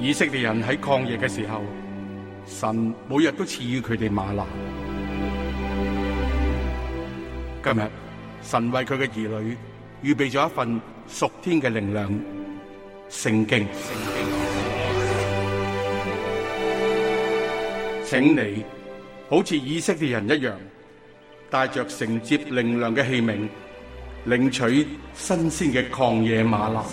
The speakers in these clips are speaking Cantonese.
以色列人喺曠野嘅時候，神每日都賜予佢哋嗎哪。今日神為佢嘅兒女預備咗一份屬天嘅靈糧——聖經。請你好似以色列人一樣，帶着承接靈糧嘅器皿，領取新鮮嘅曠野嗎哪。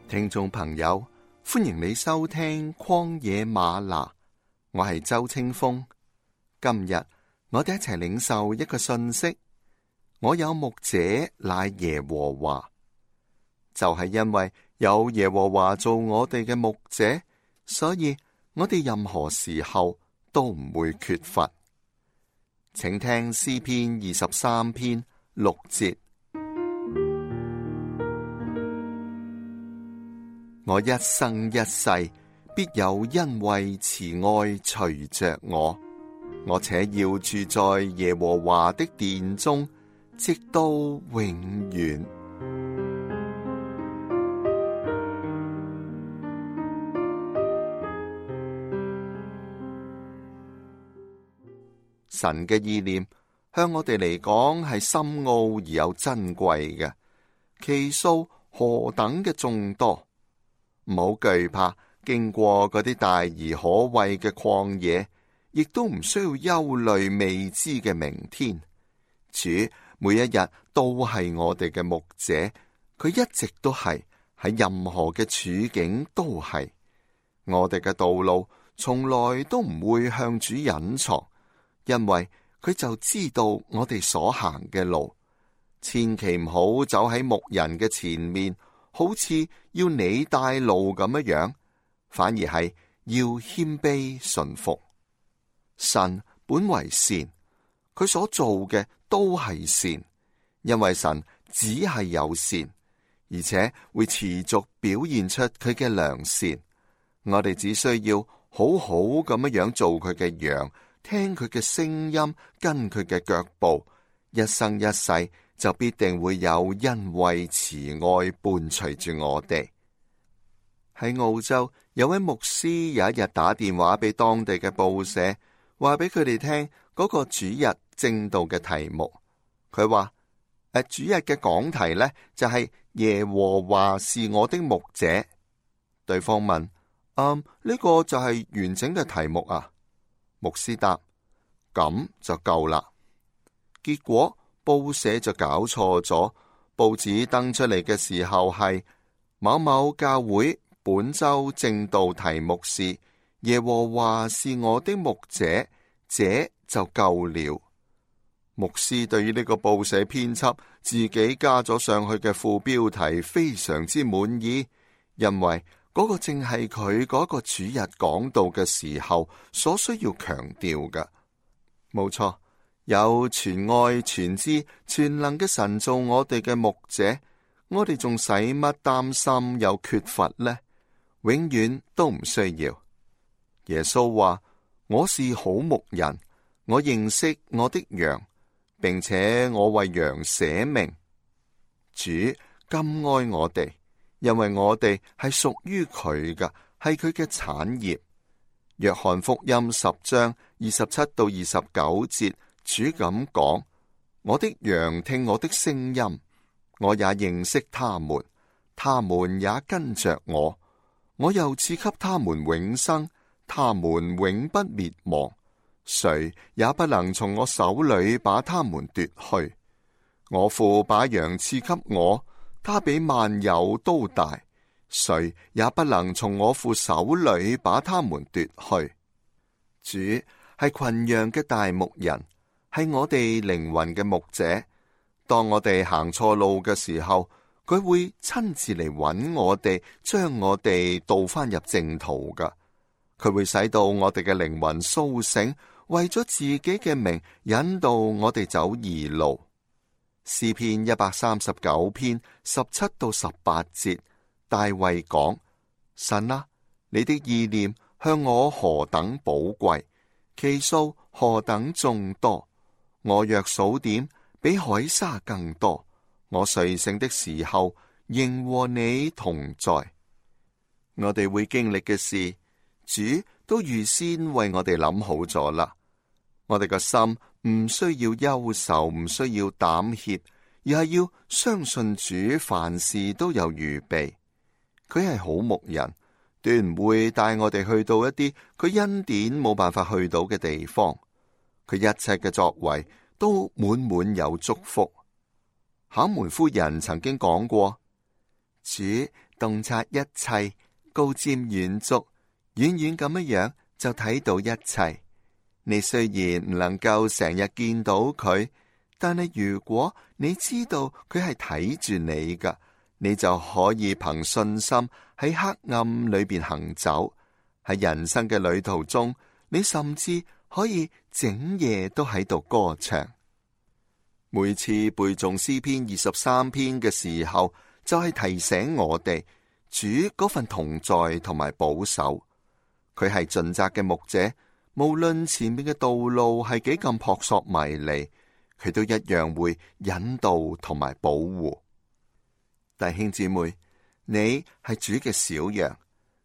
聽眾朋友，歡迎你收聽曠野嗎哪，我係周清風。今日我哋一齊領受一個信息，我有牧者乃耶和華，就係因為有耶和華做我哋嘅牧者，所以我哋任何時候都唔會缺乏。請聽詩篇23篇6節。我一生一世必有恩惠慈愛隨着我，我且要住在耶和華的殿中，直到永遠。神嘅意念向我哋嚟講係深奧而又珍貴嘅，其數何等嘅眾多。唔好懼怕經過嗰啲大而可畏嘅曠野，亦都唔需要憂慮未知嘅明天。主每一日都係我哋嘅牧者，佢一直都係，喺任何嘅處境都係。我哋嘅道路從來都唔會向主隱藏，因為佢就知道我哋所行嘅路。千祈唔好走喺牧人嘅前面，好似要你帶路咁樣，反而係要謙卑順服。神本為善，佢所做嘅都係善，因為神只係有善，而且會持續表現出佢嘅良善。我哋只需要好好咁樣做佢嘅羊，聽佢嘅聲音，跟佢嘅腳步，一生一世就必定會有恩惠慈愛伴隨住我哋。喺澳洲有位牧師有一日打電話俾當地嘅報社，話俾佢哋聽嗰個主日正道嘅題目。佢話主日嘅講題呢，就係耶和華是我的牧者。對方問：呢個就係完整嘅題目啊？牧師答：咁就夠啦。結果報社就搞錯咗，報紙登出嚟嘅時候係某某教會本周正道題目是耶和華是我的牧者，這就夠了。牧師對於呢個報社編輯自己加咗上去嘅副標題非常之滿意，因為嗰個正係佢嗰個主日講道嘅時候所需要強調嘅。冇錯。有全愛全知全能嘅神做我哋嘅牧者，我哋仲使乜擔心有缺乏呢？永遠都唔需要。耶穌話：我是好牧人，我認識我的羊，並且我為羊捨命。主甘愛我哋，因為我哋係屬於佢嘅，係佢嘅產業。約翰福音10章27到29節。主咁講：我的羊聽我的聲音，我也認識他們，他們也跟着我，我又賜給他們永生，他們永不滅亡，誰也不能從我手裏把他們奪去。我父把羊賜給我，他比萬有都大，誰也不能從我父手裏把他們奪去。主係群羊嘅大牧人，係我哋靈魂嘅牧者。當我哋行錯路嘅時候，佢會親自嚟揾我哋，將我哋導翻入正途噶。佢會使到我哋嘅靈魂甦醒，為咗自己嘅名引導我哋走義路。詩篇139篇17到18節，大衛講：神啊，你的意念向我何等寶貴，其數何等眾多，我若數點，比海沙更多。我睡醒的時候，仍和你同在。我哋會經歷嘅事，主都預先為我哋諗好咗啦。我哋個心唔需要憂愁，唔需要膽怯，而係要相信主凡事都有預備。佢係好牧人，斷唔會帶我哋去到一啲佢恩典冇辦法去到嘅地方。佢一切嘅作為都滿滿有祝福。考門夫人曾經講過：主洞察一切，高瞻遠矚，遠遠咁樣就睇到一切。你雖然唔能夠成日見到佢，但係如果你知道佢係睇住你噶，你就可以憑信心喺黑暗裏邊行走。喺人生嘅旅途中，你甚至可以整夜都喺度歌唱。每次背誦詩篇23篇嘅時候，就係提醒我哋主嗰份同在同埋保守。佢係盡責嘅牧者，無論前面嘅道路係幾咁撲朔迷離，佢都一樣會引導同埋保護。弟兄姊妹，你係主嘅小羊，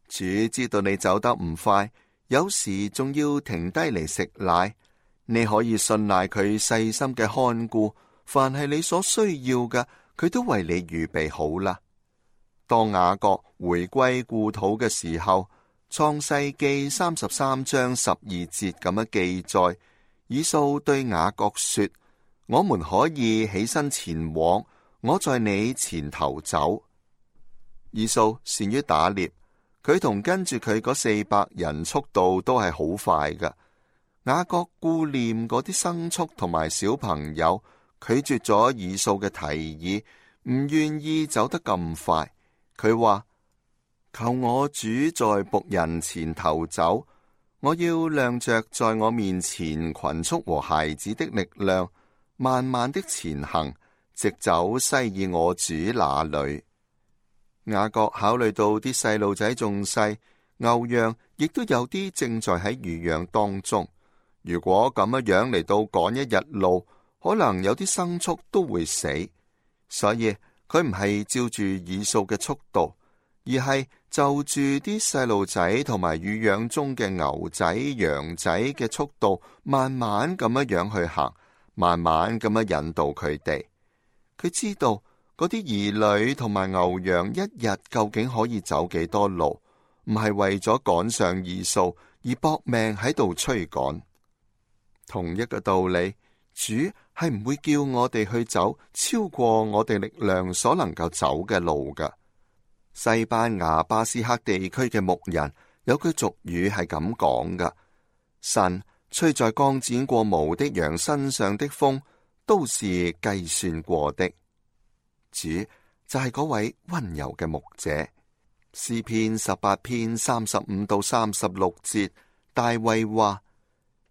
主知道你走得唔快，有時仲要停低嚟食奶。你可以信賴佢細心嘅看顧，凡係你所需要嘅，佢都為你預備好啦。當雅各回歸故土嘅時候，創世記33章12節咁樣記載，以掃對雅各說：我們可以起身前往，我在你前頭走。以掃善於打獵，佢同跟住佢嗰400人速度都係好快噶。雅各顧念嗰啲牲畜同埋小朋友，拒絕咗以掃嘅提議，唔願意走得咁快。佢話：求我主在僕人前頭走，我要亮着在我面前群畜和孩子的力量，慢慢的前行，直走西以我主那裏。雅各考慮到啲細路仔仲細，牛羊亦都有啲正在喺乳養當中。如果咁樣嚟到趕一日路，可能有啲牲畜都會死，所以佢唔係照住以掃嘅速度，而係就住啲細路仔同埋乳養中嘅牛仔羊仔嘅速度，慢慢咁樣去行，慢慢咁樣引導佢哋。佢知道嗰啲兒女同埋牛羊一日究竟可以走幾多路，唔係為咗趕上以掃而搏命喺度催趕。同一個道理，主係唔會叫我哋去走超過我哋力量所能夠走嘅路噶。西班牙巴斯克地區嘅牧人有句俗語係咁講噶：神吹在剛剪過毛的羊身上的風，都是計算過的。主就係嗰位溫柔嘅牧者。詩篇18篇35到36節，大衛話：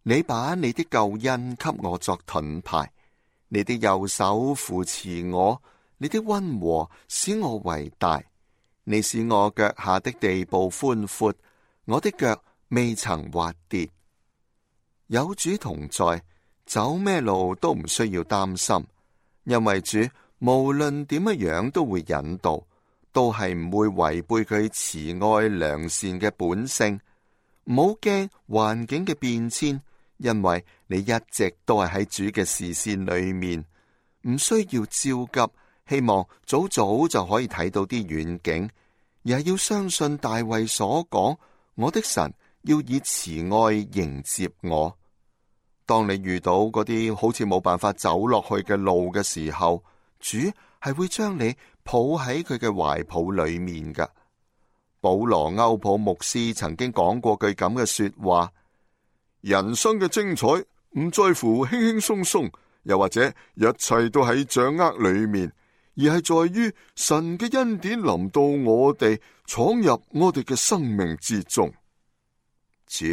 你把你的救恩給我作盾牌，你的右手扶持我，你的溫和使我為大。你使我腳下的地步寬闊，我的腳未曾滑跌。有主同在，走咩路都唔需要擔心，因為主無論點樣都會引導，都係唔會違背佢慈愛良善嘅本性。唔好驚環境嘅變遷，因為你一直都係喺主嘅視線裏面，唔需要焦急，希望早早就可以睇到啲遠景，而係要相信大衛所講，我的神要以慈愛迎接我。當你遇到嗰啲好似冇辦法走落去嘅路嘅時候，主係會將你抱喺佢嘅懷抱裏面噶。保羅歐普牧師曾經講過句咁嘅說話：人生嘅精彩唔在乎輕輕鬆鬆，又或者一切都喺掌握裏面，而係在於神嘅恩典臨到我哋，闖入我哋嘅生命之中。主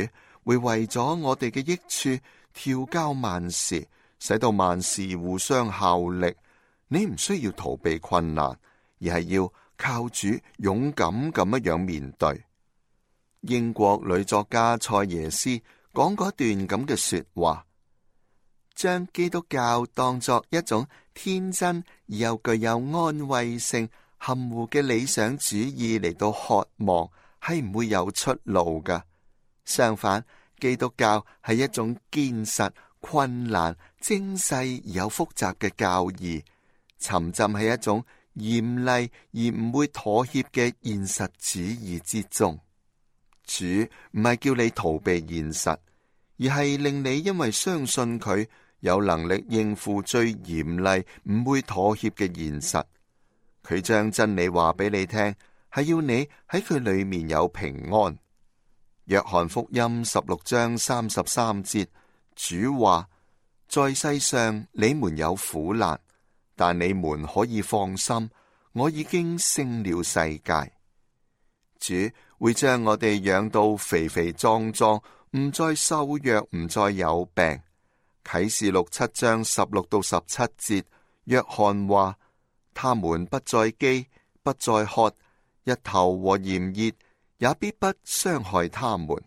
會為咗我哋嘅益處調教萬事，使到萬事互相效力，你唔需要逃避困難，而係要靠主勇敢咁樣面對。英國女作家蔡耶斯講過一段咁嘅說話，將基督教當作一種天真而又具有安慰性、含糊嘅理想主義嚟到渴望，係唔會有出路㗎。相反，基督教係一種堅實、困難、精細而又複雜嘅教義，沉浸喺一種嚴厲而唔會妥協嘅現實主義之中。主唔係叫你逃避現實，而係令你因為相信佢有能力應付最嚴厲、唔會妥協嘅現實。佢將真理話俾你聽，係要你喺佢裏面有平安。約翰福音16章33節，主話：在世上你們有苦難，但你們可以放心，我已經勝了世界。主會將我哋養到肥肥壯壯，唔再瘦弱，唔再有病。啟示錄7章16到17節，約翰話：他們不再飢，不再渴，日頭和炎熱也必不傷害他們，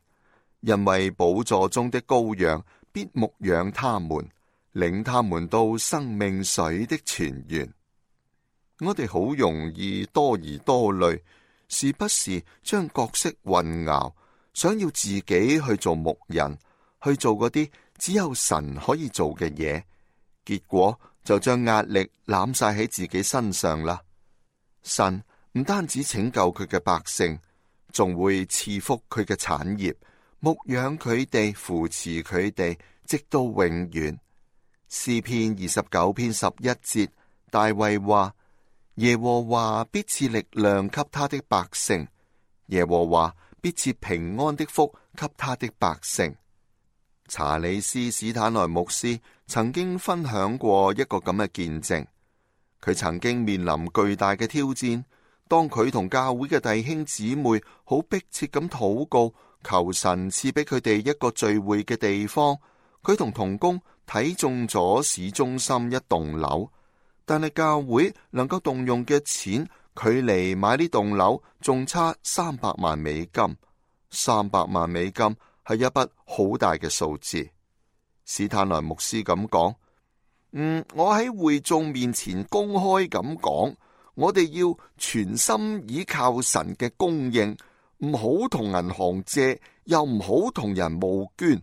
因為寶座中的羔羊必牧養他們，領他們到生命水的泉源。我哋好容易多疑多慮，時不時將角色混淆，想要自己去做牧人，去做嗰啲只有神可以做嘅嘢，結果就將壓力攬晒喺自己身上啦。神唔單止拯救佢嘅百姓，仲會賜福佢嘅產業，牧養佢哋，扶持佢哋，直到永遠。詩篇29篇11節，大衛話：耶和華必賜力量給他的百姓，耶和華必賜平安的福給他的百姓。查理斯史坦萊牧師曾經分享過一個咁嘅見證，佢曾經面臨巨大嘅挑戰，當佢同教會嘅弟兄姊妹好迫切咁禱告，求神賜俾佢哋一個聚會嘅地方。佢同同工睇中咗市中心一棟樓，但係教會能夠動用嘅錢，距離買呢棟樓仲差300萬美金。300萬美金係一筆好大嘅數字。史坦萊牧師咁講：我喺會眾面前公開咁講，我哋要全心倚靠神嘅供應，唔好同銀行借，又唔好同人募捐。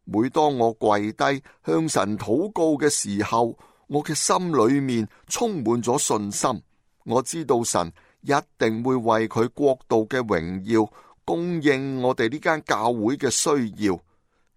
每當我跪低向神禱告嘅時候，我嘅心裏面充滿咗信心。我知道神一定會為佢國度嘅榮耀供應我哋呢間教會嘅需要。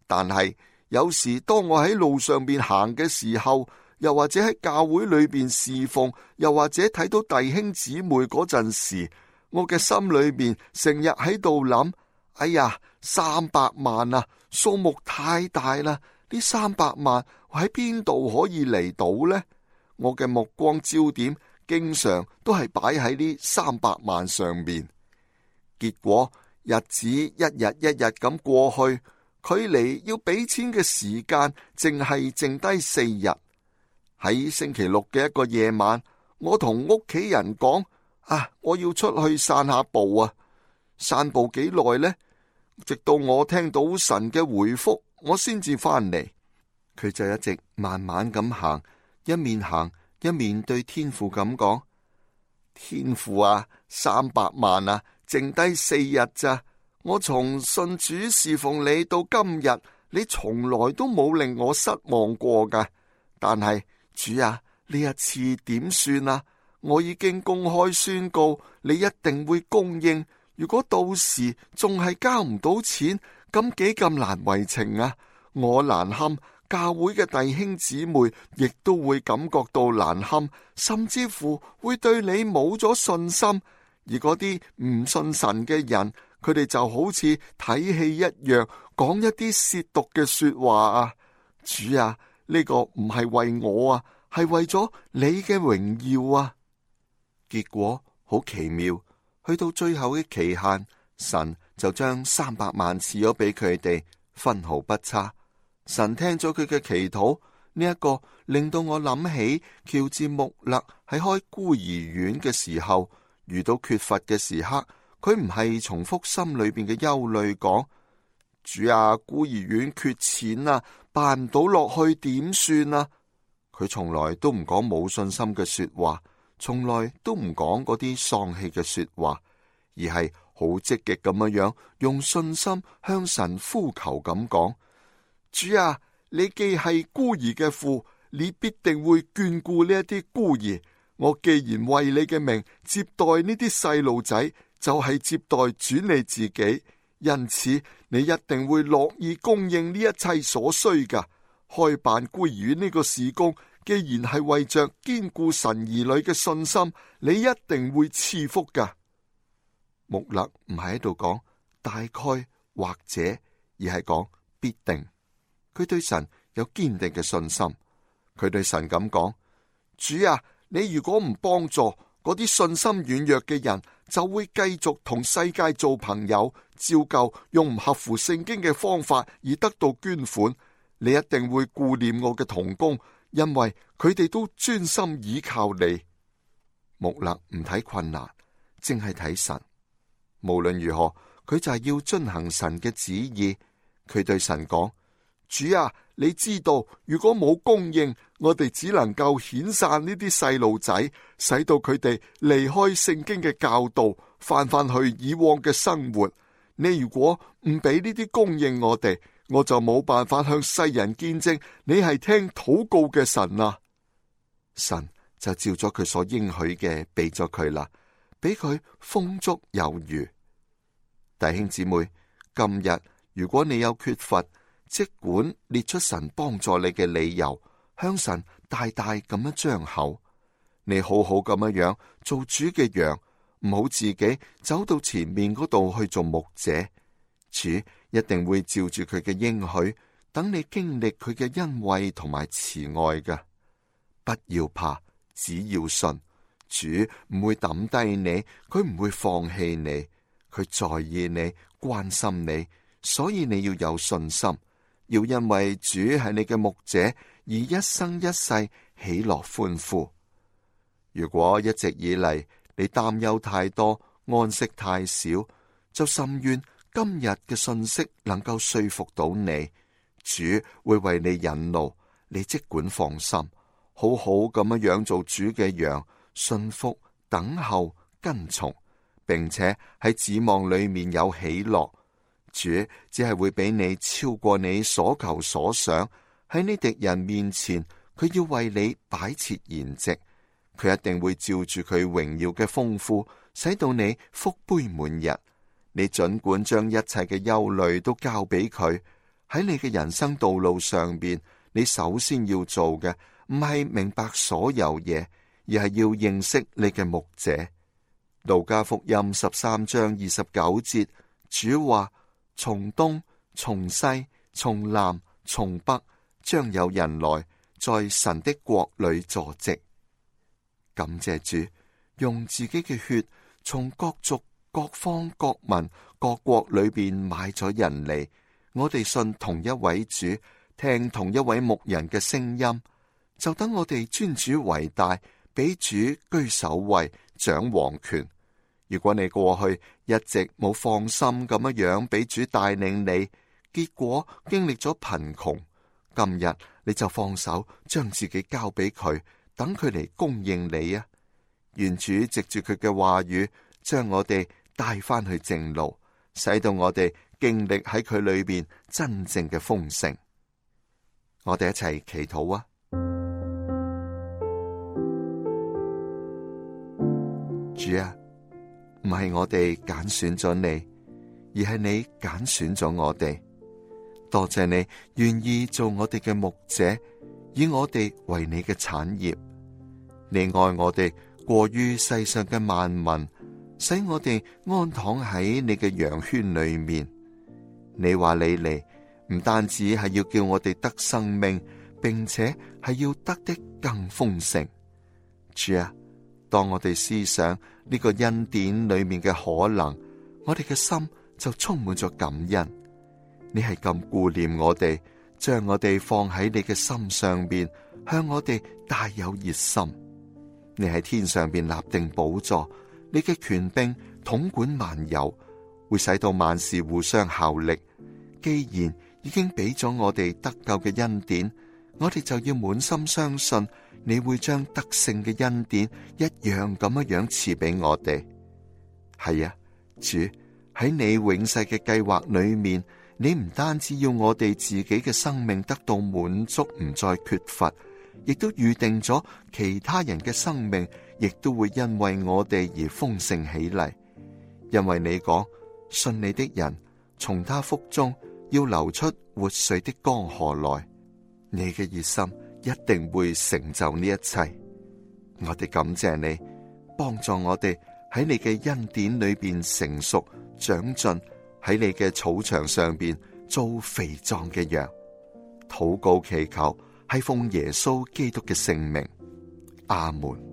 但係有時當我喺路上邊行嘅時候，又或者喺教會裏邊侍奉，又或者睇到弟兄姊妹嗰陣時，我嘅心裏面成日喺度諗：哎呀，300萬啊，數目太大啦！呢300萬喺邊度可以嚟到呢？我嘅目光焦點經常都係擺喺呢300萬上面。結果日子一日一日咁過去，距離要俾錢嘅時間淨係剩低4日。喺星期六嘅一個夜晚，我同屋企人講：我要出去散下步啊！散步幾耐呢？直到我聽到神嘅回覆，我先至翻嚟。佢就一直慢慢咁行，一面對天父咁講：天父啊，300萬啊，剩低4日咋？我從信主侍奉你到今日，你從來都冇令我失望過噶。但係主啊，呢一次點算啊？我已經公開宣告，你一定會供應。如果到時仲係交唔到錢，咁幾咁難為情啊！我難堪，教會嘅弟兄姊妹亦都會感覺到難堪，甚至乎會對你冇咗信心。而嗰啲唔信神嘅人，佢哋就好似睇戲一樣，講一啲褻瀆嘅說話啊！主啊，呢個唔係為我啊，係為咗你嘅榮耀啊！結果好奇妙。去到最後嘅期限，神就將300萬賜咗俾佢哋，分毫不差。神聽咗佢嘅祈禱，呢一個令到我諗起喬治穆勒喺開孤兒院嘅時候，遇到缺乏嘅時刻，佢唔係重複心裏邊嘅憂慮，講：主啊，孤兒院缺錢啊，辦唔到落去點算啊？佢從來都唔講冇信心嘅說話，從來都唔講嗰啲喪氣嘅說話，而係好積極咁樣用信心向神呼求咁講：主啊，你既係孤兒嘅父，你必定會眷顧呢一啲孤兒。我既然為你嘅名接待呢啲細路仔，就係接待主你自己，因此你一定會樂意供應呢一切所需噶。開辦孤兒院呢個事工，既然係為着堅固神兒女嘅信心，你一定會賜福噶。穆勒唔係喺度講大概或者，而係講必定。佢對神有堅定嘅信心，佢對神咁講：主啊，你如果唔幫助嗰啲信心軟弱嘅人，就會繼續同世界做朋友，照舊用唔合乎聖經嘅方法而得到捐款。你一定會顧念我嘅同工，因為佢哋都專心倚靠你。穆勒唔睇困難，淨係睇神。無論如何，佢就係要遵行神嘅旨意。佢對神講：主啊，你知道，如果冇供應，我哋只能夠遣散呢啲細路仔，使到佢哋離開聖經嘅教導，翻去以往嘅生活。你如果唔俾呢啲供應我哋，我就冇辦法向世人見證你係聽禱告嘅神啊！神就照咗佢所應許嘅俾咗佢啦，俾佢豐足有餘。弟兄姊妹，今日如果你有缺乏，即管列出神幫助你嘅理由，向神大大咁樣張口。你好好咁樣做主嘅羊，唔好自己走到前面嗰度去做牧者。主一定會照住佢嘅應許，等你經歷佢嘅恩惠同埋慈愛嘅。不要怕，只要信，主唔會抌低你，佢唔會放棄你，佢在意你，關心你，所以你要有信心，要因為主係你嘅牧者而一生一世喜樂歡呼。如果一直以嚟你擔憂太多，安息太少，就甚願今日嘅信息能夠說服到你，主會為你引路，你即管放心，好好咁樣做主嘅羊，信服、等候、跟從，並且喺指望裏面有喜樂。主只係會俾你超過你所求所想，喺你敵人面前，佢要為你擺設筵席，佢一定會照住佢榮耀嘅豐富，使到你福杯滿溢。你盡管將一切嘅憂慮都交俾佢。喺你嘅人生道路上邊，你首先要做嘅唔係明白所有嘢，而係要認識你嘅牧者。路加福音13章29節，主話：從東、從西、從南、從北，將有人來在神的國裏坐席。感謝主，用自己嘅血從各族、各方、各民、各國裏邊買咗人嚟，我哋信同一位主，聽同一位牧人嘅聲音，就等我哋尊主為大，俾主居首位，掌王權。如果你過去一直冇放心咁樣俾主帶領你，結果經歷咗貧窮，今日你就放手將自己交俾佢，等佢嚟供應你啊！願主藉住佢嘅話語，將我哋帶翻去正路，使到我哋經歷喺佢裏邊真正嘅豐盛。我哋一齊祈禱啊！主啊，唔係我哋揀選咗你，而係你揀選咗我哋。多謝你願意做我哋嘅牧者，以我哋為你嘅產業。你愛我哋過於世上嘅萬民，使我哋安躺喺你嘅羊圈裏面。你話你嚟，唔單止係要叫我哋得生命，並且係要得的更豐盛。主啊，當我哋思想呢個恩典裏面嘅可能，我哋嘅心就充滿咗感恩。你係咁顧念我哋，將我哋放喺你嘅心上邊，向我哋大有熱心。你喺天上邊立定寶座，你嘅權柄統管萬有，會使到萬事互相效力。既然已經俾咗我哋得救嘅恩典，我哋就要滿心相信你會將得勝嘅恩典一樣咁樣賜俾我哋。係啊，主，喺你永世嘅計劃裏面，你唔單止要我哋自己嘅生命得到滿足，唔再缺乏，亦都預定咗其他人嘅生命亦都會因為我哋而豐盛起嚟。因為你講，信你的人從他腹中要流出活水的江河來，你嘅熱心一定會成就呢一切。我哋感謝你，幫助我哋喺你嘅恩典裏邊成熟長進，喺你嘅草場上邊做肥壯嘅羊。禱告祈求係奉耶穌基督嘅聖名，阿門。